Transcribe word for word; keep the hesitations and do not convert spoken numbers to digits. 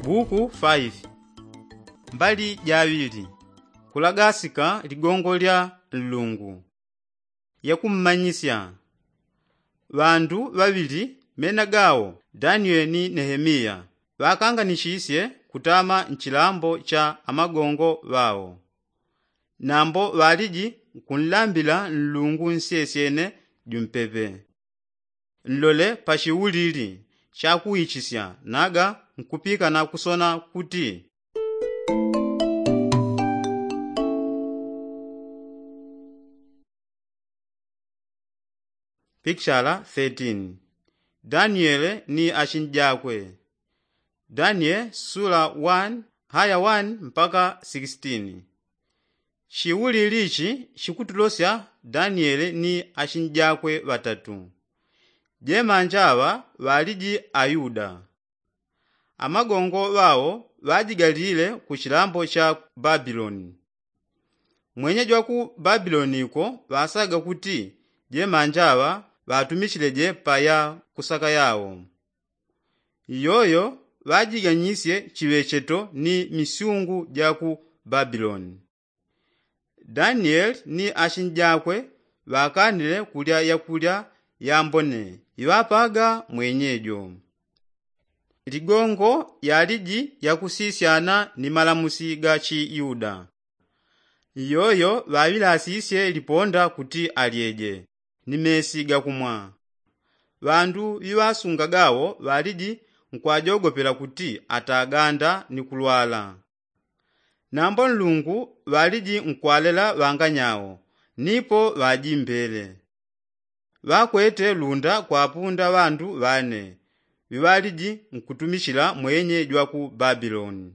Buku faifi. Mbali jaŵili. Kulagasika ligongo lya nlungu. Yakummanyisya. Ŵandu ŵaŵili mena gawo danieli ni nehemiya ŵakanganisisye kutama nchilambo cha amagongo ŵawo. Nambo ŵaliji nkunlambila nlungu nsyesyene jumpepe. Nlole pa chiulili chakuichisya naga nkupikana kusona kuti. Pikishala thirteen. Daniele ni achinjakwe. Daniele sula one haya one mpaka sixteen. Chiulili ichi chikutulosya daniele ni achinjakwe ŵatatu. Jemanja aŵa ŵaliji ayuda. Amagongo ŵawo ŵajigalile ku chilambo cha babiloni. Mwenye jwaku babiloni ko ŵasaga kuti jemanja aŵa ŵatumichileje paya kusaka yawo. Iyoyo ŵajiganyisye chiŵecheto ni misyungu jaku babiloni. Danieli ni achinjakwe ŵakanile kulya yakulya yambone iŵapaga mwenyejo. Ligongo yaliji yakusisyana ni malamusi ga chiyuda. Iyoyo ŵaŵilasisye liponda kuti alyeje ni mesi gakumwa. Ŵandu ŵiŵasunga gawo ŵaliji nkwajogopela kuti ataganda ni kulwala. Nambo nlungu ŵaliji nkwalela ŵanganyawo nipo ŵajimbele. Ŵakwete lunda kwapunda ŵandu ŵane ŵiŵaliji nkutumichila mwenye jwaku babiloni.